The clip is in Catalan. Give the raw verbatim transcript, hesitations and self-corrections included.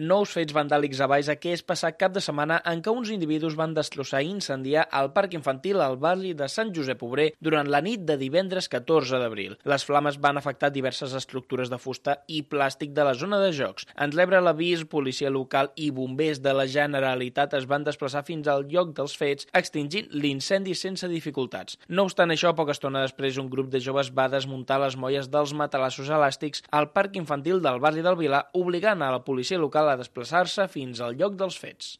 Nous fets vandàlics a Baix aquest passat cap de setmana en què uns individus van destrossar i incendiar el parc infantil al barri de Sant Josep Obrer durant la nit de divendres catorze d'abril. Les flames van afectar diverses estructures de fusta i plàstic de la zona de jocs. En rebre l'avís, policia local i bombers de la Generalitat es van desplaçar fins al lloc dels fets, extingint l'incendi sense dificultats. No obstant això, poca estona després, un grup de joves va desmuntar les molles dels matalassos elàstics al parc infantil del barri del Vilar, obligant a la policia local a desplaçar-se fins al lloc dels fets.